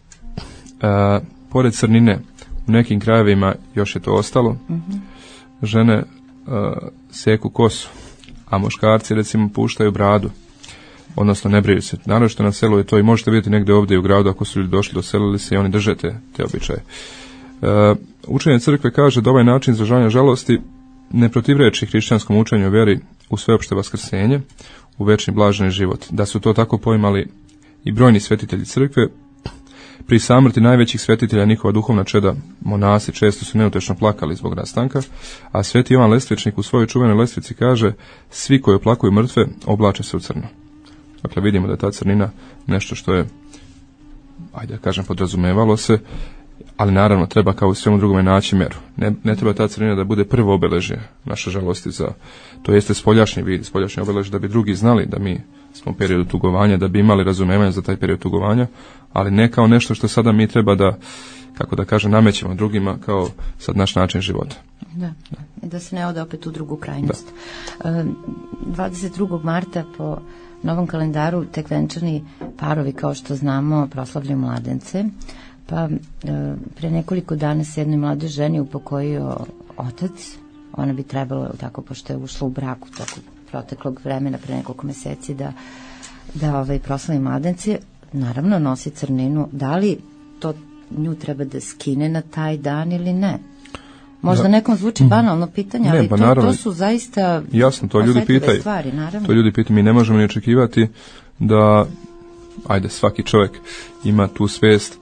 E, pored crnine, u nekim krajevima još je to ostalo. Mm-hmm. Žene e, seku kosu, a muškarci recimo puštaju bradu, odnosno ne briju se. Naravno što na selu je to, i možete vidjeti negdje ovdje u gradu ako su ljudi došli, doselili se i oni drže te, te običaje. E, učenje crkve kaže da ovaj način izražavanja žalosti ne protivreči hrišćanskom učenju o vjeri u sveopšte vaskrsenje, u večni blaženi život. Da su to tako poimali i brojni svetitelji crkve. Pri samrti najvećih svetitelja, njihova duhovna čeda, monasi, često su neutečno plakali zbog rastanka, a sveti Jovan Lestvičnik u svojoj čuvenoj lestvici kaže: svi koji oplakuju mrtve oblače se u crno. Dakle, vidimo da je ta crnina nešto što je, ajde da kažem, podrazumevalo se, ali naravno treba kao u svemu drugome naći meru. Ne, ne treba ta crnina da bude prvo obeležje naše žalosti za, to jeste spoljašnji vid, spoljašnji obeležje, da bi drugi znali da mi smo u periodu tugovanja, da bi imali razumevanje za taj period tugovanja, ali ne kao nešto što sada mi treba da, kako da kažem, namećemo drugima kao sad naš način života. Da, da, da se ne ode opet u drugu krajnost. Da. dvadeset drugog marta po novom kalendaru tek venčani parovi, kao što znamo, proslavljaju mladence. Pa pre nekoliko dana se jednoj mladoj ženi upokojio otac. Ona bi trebalo, tako, pošto je ušla u braku toko proteklog vremena, pre nekoliko meseci, da, da ovaj, proslavi mladence. Naravno nosi crninu. Da li to nju treba da skine na taj dan ili ne? Možda da. Nekom zvuči banalno pitanje, ali ne, to, to su zaista jasno, to ljudi pitaju. Stvari, naravno. To ljudi pitaju, mi ne možemo ni očekivati da, ajde, svaki čovjek ima tu svijest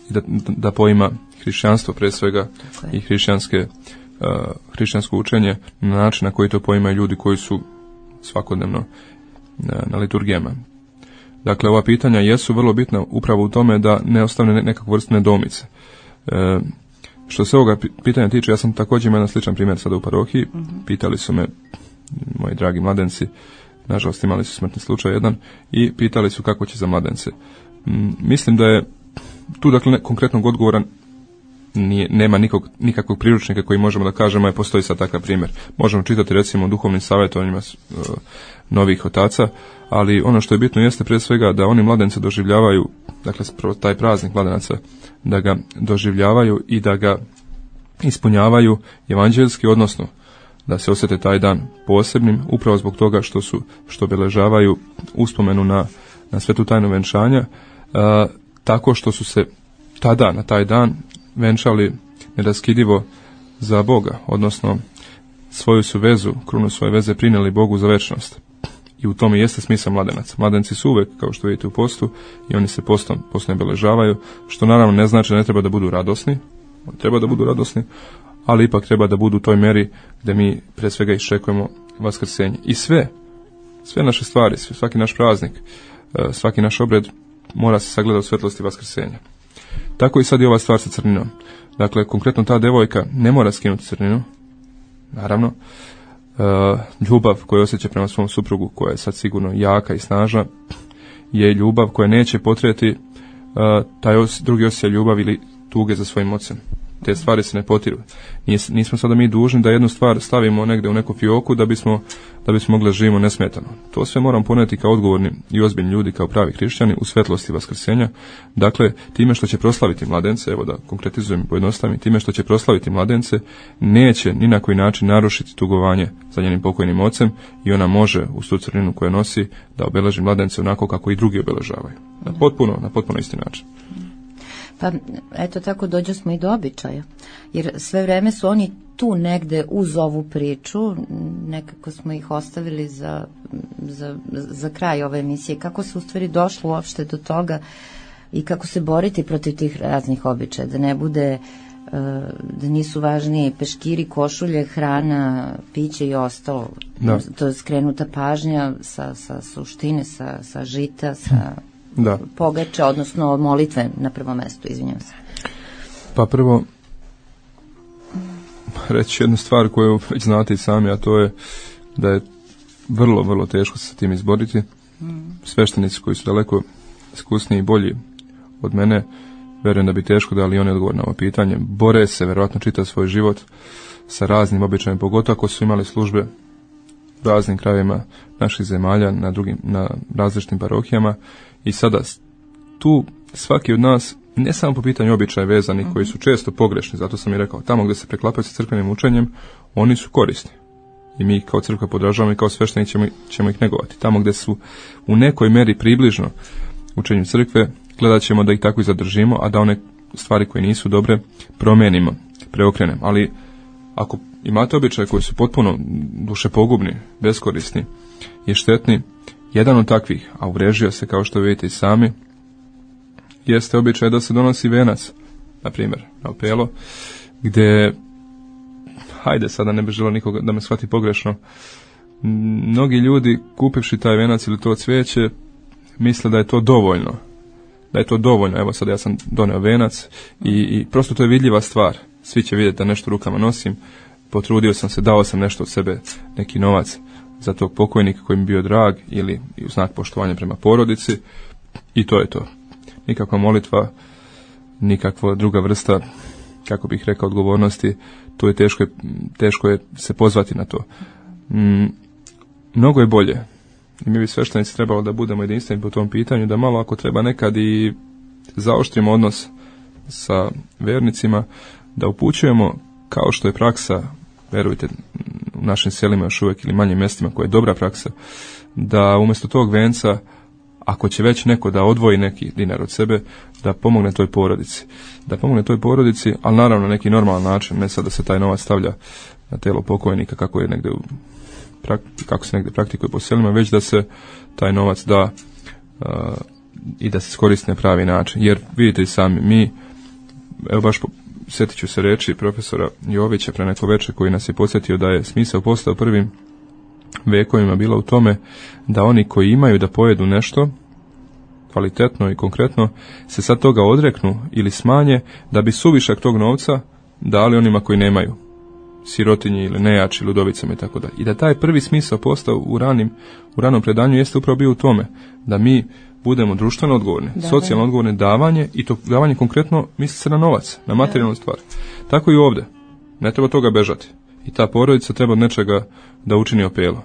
i da, da poima hrišćanstvo pre svega i hrišćanske, uh, hrišćansko učenje na način na koji to poimaju ljudi koji su svakodnevno na, na liturgijama. Dakle, ova pitanja jesu vrlo bitna upravo u tome da ne ostane nekakvu vrstu nedoumice. E, što se ovoga pitanja tiče, ja sam također imao jedan sličan primjer sada u parohiji. Mm-hmm. Pitali su me moji dragi mladenci, nažalost imali su smrtni slučaj jedan, i pitali su kako će za mladence. M, mislim da je tu, dakle, ne, konkretnog odgovora nije, nema nikog, nikakvog priručnika koji možemo da kažemo je postoji sad takav primjer. Možemo čitati recimo o duhovnim savjetovanjima uh, novih otaca, ali ono što je bitno jeste prije svega da oni mladence doživljavaju, dakle taj praznik mladenaca, da ga doživljavaju i da ga ispunjavaju evanđeljski, odnosno da se osjete taj dan posebnim, upravo zbog toga što su, što obeležavaju uspomenu na, na svetu tajnu venčanja, uh, tako što su se tada, na taj dan, venčali neraskidivo za Boga, odnosno svoju su vezu, krunu svoje veze prinijeli Bogu za večnost. I u tome jeste smisao mladenaca. Mladenci su uvek, kao što vidite, u postu i oni se postom, postom obeležavaju, što naravno ne znači da ne treba da budu radosni, treba da budu radosni, ali ipak treba da budu u toj meri gde mi pre svega iščekujemo vaskrsenje. I sve, sve naše stvari, svaki naš praznik, svaki naš obred mora se sagledati u svetlosti vaskrsenja. Tako i sad i ova stvar sa crninom. Dakle, konkretno ta devojka ne mora skinuti crninu, naravno. Uh, ljubav koju osjeća prema svom suprugu, koja je sad sigurno jaka i snažna, je ljubav koja neće potrijeti uh, taj os, drugi osjećaj ljubav ili tuge za svojim ocem. Te stvari se ne potiru. Nis, nismo sada mi dužni da jednu stvar stavimo negdje u neku fioku da bismo, da bismo mogli živimo nesmetano. To sve moramo poneti kao odgovorni i ozbiljni ljudi, kao pravi hrišćani u svetlosti vaskrsenja. Dakle, time što će proslaviti mladence, evo da konkretizujem i pojednostavim, time što će proslaviti mladence, neće ni na koji način narušiti tugovanje za njenim pokojnim ocem i ona može uz tu crninu koju nosi da obeleži mladence onako kako i drugi obeležavaju. Na potpuno, na potpuno isti način. Pa eto tako dođo smo i do običaja, jer sve vreme su oni tu negde uz ovu priču, nekako smo ih ostavili za, za, za kraj ove emisije. Kako se u stvari došlo uopšte do toga i kako se boriti protiv tih raznih običaja, da ne bude, da nisu važniji peškiri, košulje, hrana, piće i ostalo. Da. To je skrenuta pažnja sa, sa suštine, sa, sa žita, sa... Da. Pogače, odnosno molitve na prvom mestu, izvinjam se. Pa prvo, reći jednu stvar koju već znate i sami, a to je da je vrlo, vrlo teško se sa tim izboriti. Mm. Sveštenici koji su daleko iskusniji i bolji od mene, verujem da bi teško dali oni odgovor na ovo pitanje. Bore se, verovatno čita svoj život sa raznim običajima, pogotovo ako su imali službe u raznim krajevima naših zemalja, na drugim, na različitim parohijama. I sada tu svaki od nas, ne samo po pitanju običaja vezani, koji su često pogrešni, zato sam i rekao, tamo gdje se preklapaju sa crkvenim učenjem, oni su korisni. I mi kao crkva podržavamo i kao sveštenici ćemo, ćemo ih negovati. Tamo gdje su u nekoj meri približno učenju crkve, gledat ćemo da ih tako i zadržimo, a da one stvari koje nisu dobre promenimo, preokrenemo. Ali ako imate običaje koji su potpuno dušepogubni, beskorisni i štetni, jedan od takvih, a uvrežio se kao što vidite i sami, jeste običaj da se donosi venac, na primjer, na opelo, gdje, hajde sada ne bi želio nikoga da me shvati pogrešno, mnogi ljudi kupivši taj venac ili to cvijeće, misle da je to dovoljno. Da je to dovoljno, evo sad ja sam doneo venac i, i prosto to je vidljiva stvar. Svi će vidjeti da nešto rukama nosim, potrudio sam se, dao sam nešto od sebe, neki novac za tog pokojnika koji mi bio drag ili u znak poštovanja prema porodici i to je to. Nikakva molitva, nikakva druga vrsta, kako bih rekao, odgovornosti, to je teško, teško je se pozvati na to. Mm, mnogo je bolje i mi bi sveštenici trebalo da budemo jedinstveni po tom pitanju, da malo ako treba nekad i zaoštrimo odnos sa vernicima, da upućujemo kao što je praksa, verujte, u našim selima još uvijek ili manjim mjestima koja je dobra praksa, da umjesto tog venca, ako će već neko da odvoji neki dinar od sebe, da pomogne toj porodici. Da pomogne toj porodici, ali naravno na neki normalan način, ne sad da se taj novac stavlja na telo pokojnika kako je negde u, kako se negde praktikuje po selima, već da se taj novac da uh, i da se iskoristi na pravi način. Jer vidite i sami, mi, evo baš po, sjetit ću se reći profesora Jovića pre neko večer koji nas je podsjetio da je smisao postao prvim vekovima bila u tome da oni koji imaju da pojedu nešto kvalitetno i konkretno se sad toga odreknu ili smanje da bi suvišak tog novca dali onima koji nemaju, sirotinji ili nejači, ludovicama i tako dalje. I da taj prvi smisao postao u ranim u ranom predanju jeste upravo bio u tome da mi budemo društveno odgovorni, da, socijalno da. odgovorni, davanje, i to davanje konkretno misli se na novac, na materijalnu stvar. Tako i ovdje. Ne treba toga bežati. I ta porodica treba od nečega da učini opelo.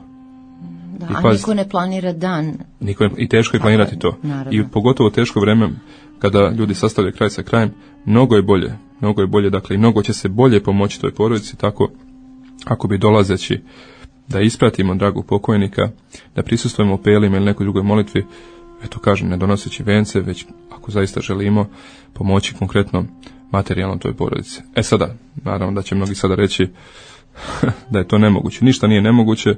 Da, I a niko ne planira dan. Niko ne, I teško je planirati a, to. Naravno. I pogotovo teško vreme kada ljudi sastavljaju kraj sa krajem, mnogo je bolje. Mnogo je bolje, dakle, i mnogo će se bolje pomoći toj porodici, tako ako bi dolazeći da ispratimo dragog pokojnika, da prisustvujemo opelima ili nekoj drugoj molitvi, eto kažem, ne donoseći vence, već ako zaista želimo pomoći konkretno materijalno toj porodici. E sada, naravno da će mnogi sada reći da je to nemoguće. Ništa nije nemoguće,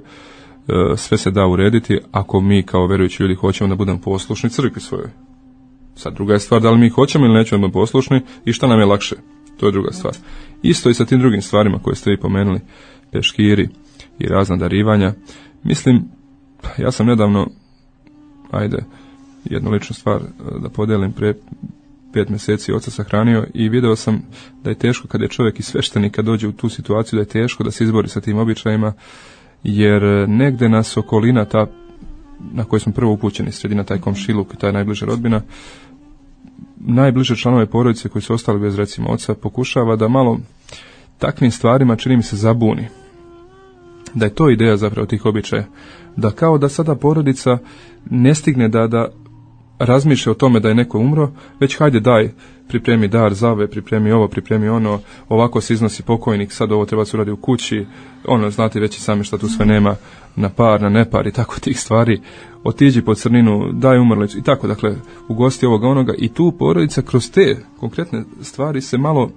sve se da urediti ako mi kao vjerujući ljudi hoćemo da budemo poslušni crkvi svojoj. Sad druga je stvar da li mi hoćemo ili nećemo da budemo poslušni i šta nam je lakše. To je druga stvar. Isto i sa tim drugim stvarima koje ste vi pomenuli, peškiri i razna darivanja. Mislim, ja sam nedavno, ajde, jednu ličnu stvar da podelim, pre pet mjeseci oca sahranio i video sam da je teško kad je čovjek i sveštenik kad dođe u tu situaciju, da je teško da se izbori sa tim običajima, jer negde nas okolina ta na kojoj smo prvo upućeni, sredina, taj komšiluk, taj najbliža rodbina, najbliže članove porodice koji su ostali bez recimo oca, pokušava da malo takvim stvarima, čini mi se, zabuni. Da je to ideja zapravo tih običaja. Da kao da sada porodica ne stigne da, da razmišlja o tome da je neko umro, već hajde daj, pripremi dar zave, pripremi ovo, pripremi ono, ovako se iznosi pokojnik, sad ovo treba se uradi u kući, ono, znate već i sami šta tu sve nema, na par, na nepar i tako tih stvari, otiđi po crninu, daj umrlicu i tako, dakle, ugosti ovoga onoga i tu porodica kroz te konkretne stvari se malo,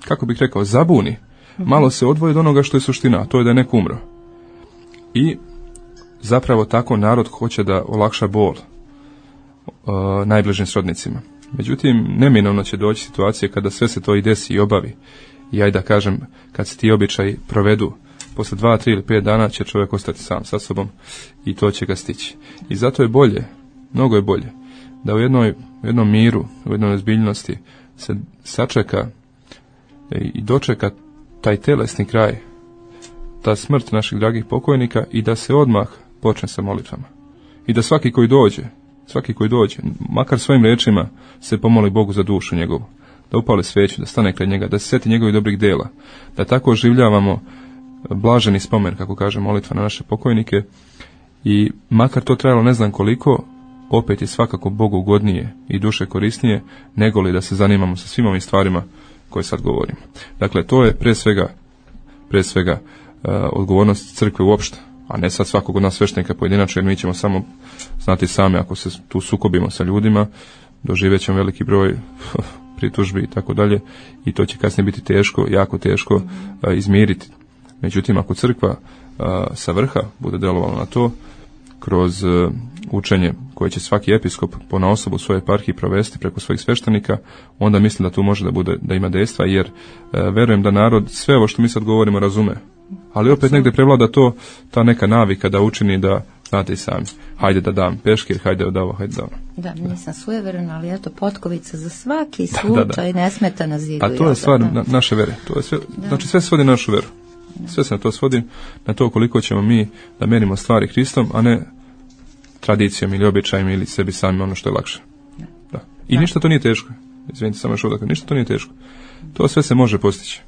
kako bih rekao, zabuni, malo se odvoji od onoga što je suština, a to je da je neko umro. I zapravo tako narod hoće da olakša bol uh, najbližim srodnicima. Međutim, neminovno će doći situacije kada sve se to i desi i obavi. I ajde da kažem, kad se ti običaji provedu, posle dva, tri ili pet dana će čovjek ostati sam sa sobom i to će ga stići. I zato je bolje, mnogo je bolje, da u jednoj, u jednom miru, u jednoj ozbiljnosti se sačeka i dočeka taj telesni kraj, ta smrt naših dragih pokojnika i da se odmah počne sa molitvama. I da svaki koji dođe, svaki koji dođe, makar svojim riječima se pomoli Bogu za dušu njegovu, da upali sveću, da stane kraj njega, da se sjeti njegovih dobrih dela, da tako oživljavamo blaženi spomen, kako kaže molitva, na naše pokojnike i makar to trajalo ne znam koliko, opet je svakako Bogu ugodnije i duše korisnije nego li da se zanimamo sa svim ovim stvarima koje sad govorimo. Dakle, to je pre svega, pre svega uh, odgovornost crkve uopšte, a ne sad svakog od nas sveštenika pojedinačno, jer mi ćemo samo znati sami ako se tu sukobimo sa ljudima, doživjet ćemo veliki broj pritužbi i tako dalje i to će kasnije biti teško, jako teško uh, izmiriti. Međutim, ako crkva uh, sa vrha bude delovala na to, kroz uh, učenje koje će svaki episkop ponaosob u svojoj eparhiji provesti preko svojih sveštenika, onda mislim da tu može da bude, da ima dejstva, jer uh, verujem da narod sve ovo što mi sad govorimo razume. Ali opet negdje prevlada to, ta neka navika da učini da, znate i sami, hajde da dam peškir, hajde da ovo, hajde da ono. Da, nisam sujeverna, ali eto potkovica za svaki slučaj, da, da, da. Ne smeta na zidu. A to je stvar na, naše vere. To je sve, znači sve se svodi na našu veru. Sve se na to svodi, na to koliko ćemo mi da merimo stvari Hristom, a ne tradicijom ili običajem ili sebi sami ono što je lakše. Da. I da. Ništa to nije teško. Izvinite, samo još ovdje, ništa to nije teško. To sve se može postići.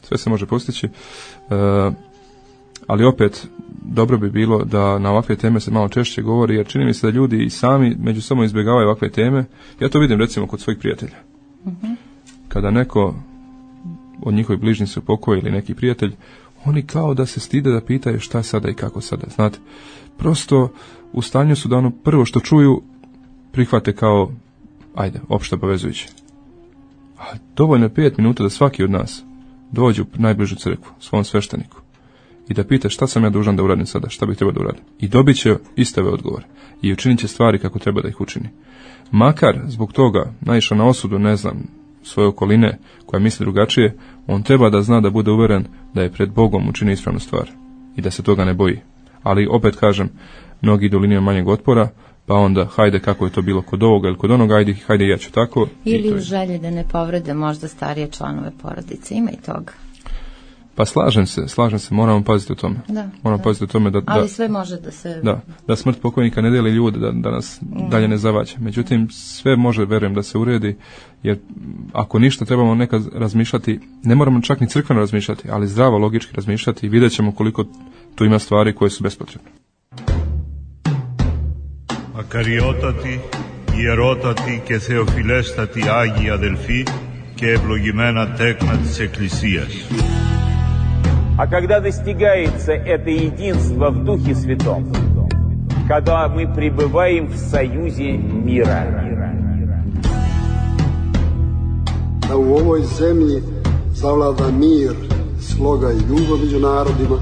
Sve se može postići. Uh, ali opet, dobro bi bilo da na ovakve teme se malo češće govori, jer čini mi se da ljudi i sami među sobom izbjegavaju ovakve teme. Ja to vidim recimo kod svojih prijatelja. Uh-huh. Kada neko od njihovih bližnjih se upokoji ili neki prijatelj, oni kao da se stide da pitaju šta sada i kako sada. Znate, prosto u stanju su da ono prvo što čuju prihvate kao, ajde, opšte povezujuće. A dovoljno je pet minuta da svaki od nas dođe u najbližu crkvu, svom svešteniku, i da pita šta sam ja dužan da uradim sada, šta bih trebao da uradim. I dobit će istave odgovore. I učinit će stvari kako treba da ih učini. Makar zbog toga naišao na osudu, ne znam, svoje okoline koja misli drugačije, on treba da zna da bude uveren da je pred Bogom učinio ispravnu stvar i da se toga ne boji. Ali opet kažem, mnogi idu linijom manjeg otpora, pa onda hajde kako je to bilo kod ovoga ili kod onoga, ajde, hajde ja ću tako. Ili u želji da ne povrede možda starije članove porodice, ima i toga. Pa slažem se, slažem se, moramo paziti o tome. Da, moramo da. paziti o tome da, da... Ali sve može da se... Da, da smrt pokojnika ne deli ljude, da, da nas mm. dalje ne zavađa. Međutim, sve može, verujem, da se uredi, jer ako ništa trebamo nekad razmišljati, ne moramo čak ni crkveno razmišljati, ali zdravo, logički razmišljati i vidjet ćemo koliko tu ima stvari koje su bespotrebne. Ακαριότατοι, ιερότατοι και θεοφιλέστατοι Άγιοι αδελφοί και ευλογημένα τέκνα της Εκκλησίας. А когда достигается это единство в Духе Святом, когда мы пребываем в союзе мира. Da u ovoj zemlji zavlada mir, sloga i ljubav među narodima.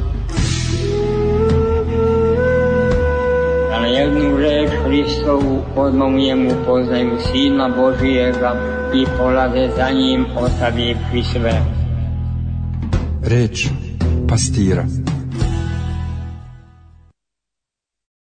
Da na jednu reč Hristovu odmah poznaju Sina Božijega i polaze za njim ostavivši sve. Reč pastira.